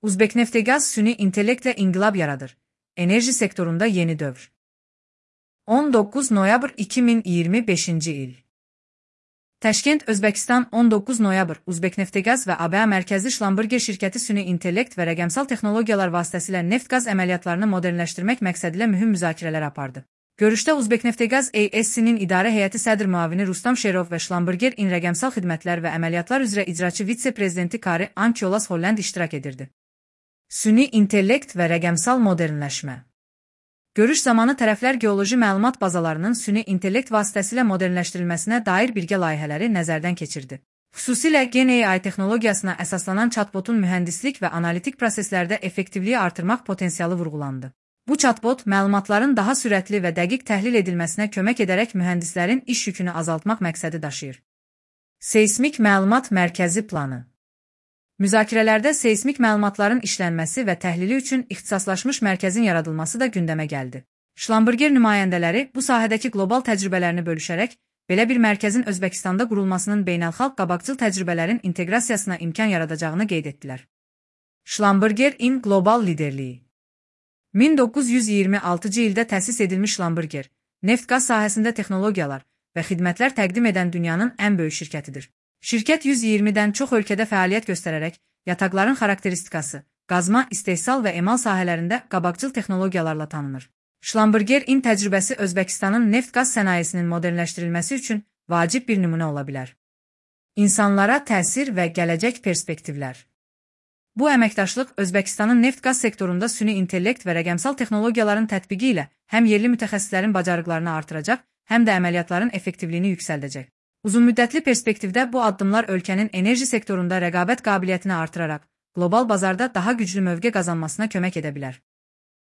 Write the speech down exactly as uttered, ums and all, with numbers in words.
Uzbekneftgaz süni intellektlə inqilab yaradır. Enerji sektorunda yeni dövr. on doqquz noyabr iki min iyirmi beşinci il. Təşkent, Özbəkistan, on doqquz noyabr. Uzbekneftgaz və A B A mərkəzli Şlamburger şirkəti süni intellekt və rəqəmsal texnologiyalar vasitəsilə neft-qaz əməliyyatlarını modernləşdirmək məqsədilə mühüm müzakirələr apardı. Görüşdə Uzbekneftgaz A S-nin idarə heyəti sədr müavini Rustam Şerov və Şlamburger in rəqəmsal xidmətlər və əməliyyatlar üzrə icraçı vitse-prezidenti Kari Ankyolas Holland iştirak edirdi. Süni intellekt və rəqəmsal modernləşmə. Görüş zamanı tərəflər geoloji məlumat bazalarının süni intellekt vasitəsilə modernləşdirilməsinə dair birgə layihələri nəzərdən keçirdi. Xüsusilə Gen A I texnologiyasına əsaslanan chatbotun mühəndislik və analitik proseslərdə effektivliyi artırmaq potensialı vurğulandı. Bu chatbot məlumatların daha sürətli və dəqiq təhlil edilməsinə kömək edərək mühəndislərin iş yükünü azaltmaq məqsədi daşıyır. Seysmik məlumat mərkəzi planı. Müzakirələrdə seysmik məlumatların işlənməsi və təhlili üçün ixtisaslaşmış mərkəzin yaradılması da gündəmə gəldi. Şlamburger nümayəndələri bu sahədəki qlobal təcrübələrini bölüşərək, belə bir mərkəzin Özbəkistanda qurulmasının beynəlxalq qabaqcıl təcrübələrin inteqrasiyasına imkan yaradacağını qeyd etdilər. Şlamburger in qlobal liderliyi. min doqquz yüz iyirmi altıncı ildə təsis edilmiş Şlamburger, neft-qaz sahəsində texnologiyalar və xidmətlər təqdim edən dünyanın ən böyük şirkətidir. Şirkət yüz iyirmidən çox ölkədə fəaliyyət göstərərək, yataqların xarakteristikası, qazma, istehsal və emal sahələrində qabaqcıl texnologiyalarla tanınır. Şlamburger in təcrübəsi Özbəkistanın neft-qaz sənayesinin modernləşdirilməsi üçün vacib bir nümunə ola bilər. İnsanlara təsir və gələcək perspektivlər. Bu əməkdaşlıq Özbəkistanın neft-qaz sektorunda süni intellekt və rəqəmsal texnologiyaların tətbiqi ilə həm yerli mütəxəssislərin bacarıqlarını artıracaq, həm də əməliyyatların effektivliyini yüksəldəcək. Uzunmüddətli perspektivdə bu addımlar ölkənin enerji sektorunda rəqabət qabiliyyətini artıraraq, qlobal bazarda daha güclü mövqe qazanmasına kömək edə bilər.